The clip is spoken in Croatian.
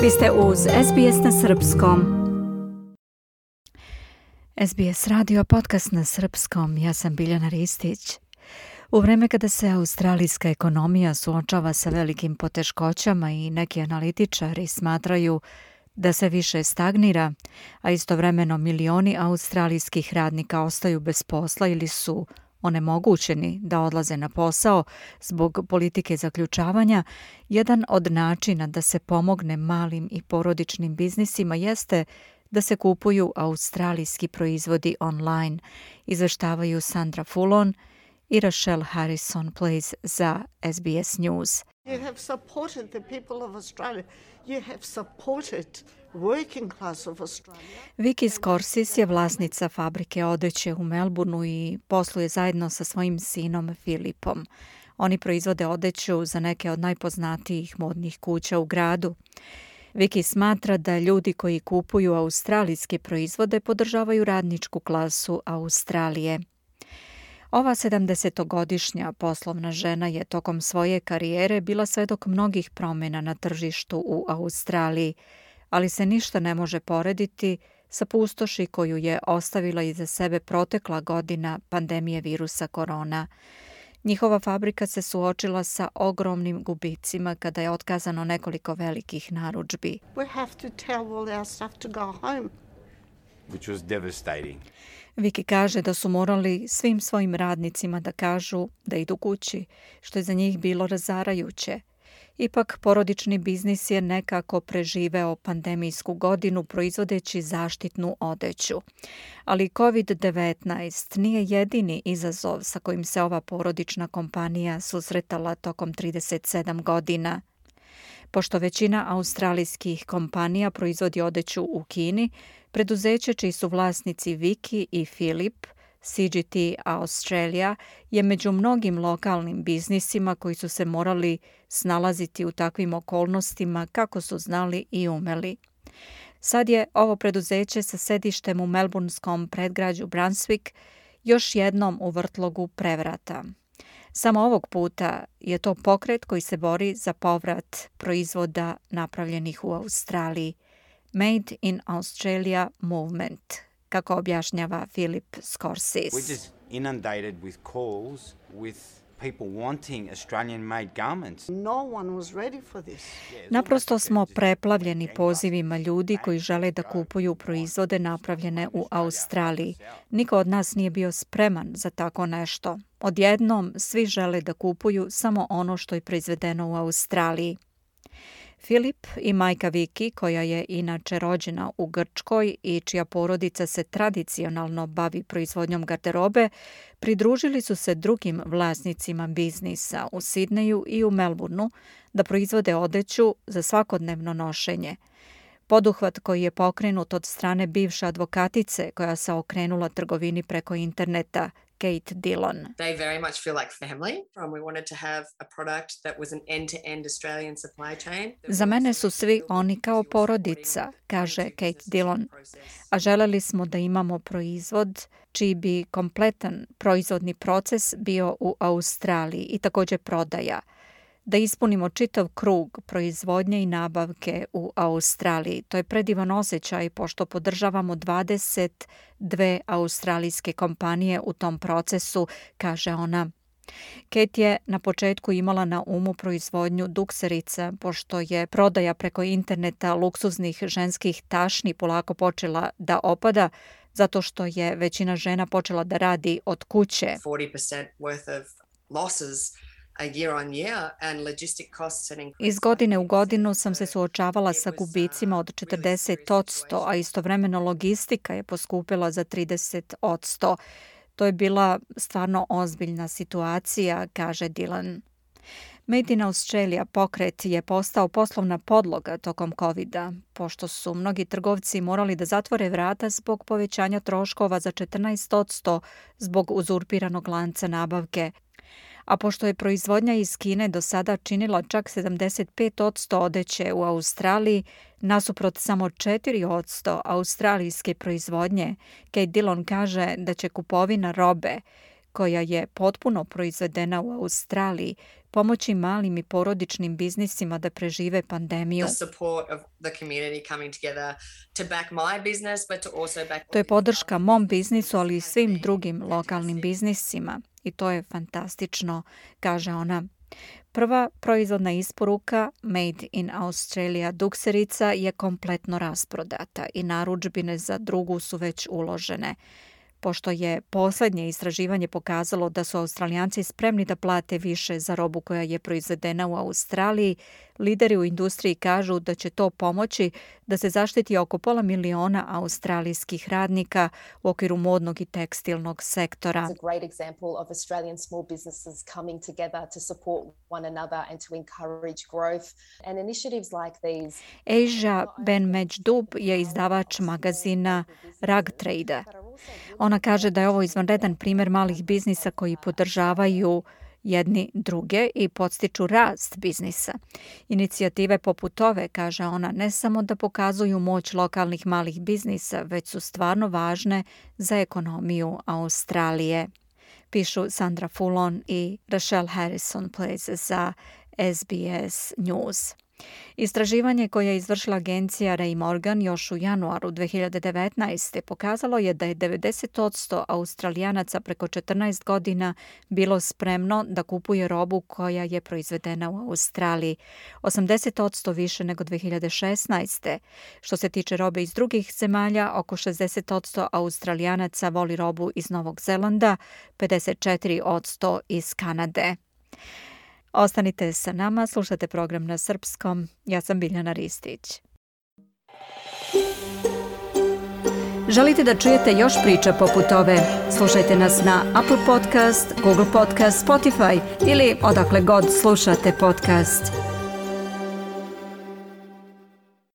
Vi ste uz SBS na srpskom. SBS radio podcast na srpskom. Ja sam Biljana Ristić. U vreme kada se australijska ekonomija suočava sa velikim poteškoćama i neki analitičari smatraju da se više stagnira, a istovremeno milioni australijskih radnika ostaju bez posla ili su onemogućeni da odlaze na posao zbog politike zaključavanja, jedan od načina da se pomogne malim i porodičnim biznisima jeste da se kupuju australijski proizvodi online, izveštavaju Sandra Fullon i Rachelle Harrison Place za SBS News. You have supported the people of Australia. You have supported working class of Australia. Vicky Scorsis je vlasnica fabrike odeće u Melbourneu i posluje zajedno sa svojim sinom Filipom. Oni proizvode odeću za neke od najpoznatijih modnih kuća u gradu. Vicky smatra da ljudi koji kupuju australijske proizvode podržavaju radničku klasu Australije. Ova 70-godišnja poslovna žena je tokom svoje karijere bila svedok mnogih promjena na tržištu u Australiji, ali se ništa ne može porediti sa pustoši koju je ostavila iza sebe protekla godina pandemije virusa korona. Njihova fabrika se suočila sa ogromnim gubicima kada je otkazano nekoliko velikih narudžbi. We have to tell all our staff to go home. Which was devastating. Vicky kaže da su morali svim svojim radnicima da kažu da idu kući, što je za njih bilo razarajuće. Ipak, porodični biznis je nekako preživeo pandemijsku godinu proizvodeći zaštitnu odeću. Ali COVID-19 nije jedini izazov sa kojim se ova porodična kompanija susretala tokom 37 godina. Pošto većina australijskih kompanija proizvodi odeću u Kini, preduzeće čiji su vlasnici Vicky i Philip, CGT Australia, je među mnogim lokalnim biznisima koji su se morali snalaziti u takvim okolnostima kako su znali i umeli. Sad je ovo preduzeće sa sedištem u melbourneskom predgrađu Brunswick još jednom u vrtlogu prevrata. Samo ovog puta je to pokret koji se bori za povrat proizvoda napravljenih u Australiji. Made in Australia Movement, kako objašnjava Philip Scorsis. We're just inundated with calls with people wanting Australian-made garments. No one was ready for this. Naprosto smo preplavljeni pozivima ljudi koji žele da kupuju proizvode napravljene u Australiji. Niko od nas nije bio spreman za tako nešto. Odjednom svi žele da kupuju samo ono što je proizvedeno u Australiji. Filip i majka Vicky, koja je inače rođena u Grčkoj i čija porodica se tradicionalno bavi proizvodnjom garderobe, pridružili su se drugim vlasnicima biznisa u Sidneju i u Melbourneu da proizvode odeću za svakodnevno nošenje. Poduhvat koji je pokrenut od strane bivše advokatice koja se okrenula trgovini preko interneta, Kate Dillon. They very much feel like family. We wanted to have a product that was an end-to-end Australian supply chain. Za mene su svi oni kao porodica, kaže Kate Dillon, a želeli smo da imamo proizvod čiji bi kompletan proizvodni proces bio u Australiji i također prodaja. Da ispunimo čitav krug proizvodnje i nabavke u Australiji. To je predivan osjećaj pošto podržavamo 22 australijske kompanije u tom procesu, kaže ona. Kate je na početku imala na umu proizvodnju dukserica, pošto je prodaja preko interneta luksuznih ženskih tašni polako počela da opada, zato što je većina žena počela da radi od kuće. 40% worth of losses Iz godine u godinu sam se suočavala sa gubicima od 40%, a istovremeno logistika je poskupila za 30%. To je bila stvarno ozbiljna situacija, kaže Dillon. Made in Australia pokret je postao poslovna podloga tokom COVID-a, pošto su mnogi trgovci morali da zatvore vrata zbog povećanja troškova za 14% zbog uzurpiranog lanca nabavke. A pošto je proizvodnja iz Kine do sada činila čak 75% odeće u Australiji, nasuprot samo 4% australijske proizvodnje, Kate Dillon kaže da će kupovina robe koja je potpuno proizvedena u Australiji, pomoći malim i porodičnim biznisima da prežive pandemiju. To je podrška mom biznisu, ali i svim drugim lokalnim biznisima. I to je fantastično, kaže ona. Prva proizvodna isporuka Made in Australia dukserica je kompletno rasprodata i narudžbine za drugu su već uložene. Pošto je posljednje istraživanje pokazalo da su Australijanci spremni da plate više za robu koja je proizvedena u Australiji, lideri u industriji kažu da će to pomoći da se zaštiti oko 500.000 australijskih radnika u okviru modnog i tekstilnog sektora. Asia Ben Mejdub je izdavač magazina Rug Trader. Ona kaže da je ovo izvanredan primjer malih biznisa koji podržavaju jedni druge i podstiču rast biznisa. Inicijative poput ove, kaže ona, ne samo da pokazuju moć lokalnih malih biznisa, već su stvarno važne za ekonomiju Australije. Pišu Sandra Fullon i Rachelle Harrison-Place za SBS News. Istraživanje koje je izvršila agencija Ray Morgan još u januaru 2019. pokazalo je da je 90% Australijanaca preko 14 godina bilo spremno da kupuje robu koja je proizvedena u Australiji. 80% više nego 2016. Što se tiče robe iz drugih zemalja, oko 60% Australijanaca voli robu iz Novog Zelanda, 54% iz Kanade. Ostanite sa nama, slušate program na srpskom. Ja sam Biljana Ristić. Želite da čujete još priča poput ove? Slušajte nas na Apple Podcast, Google Podcast, Spotify ili odakle god slušate podcast.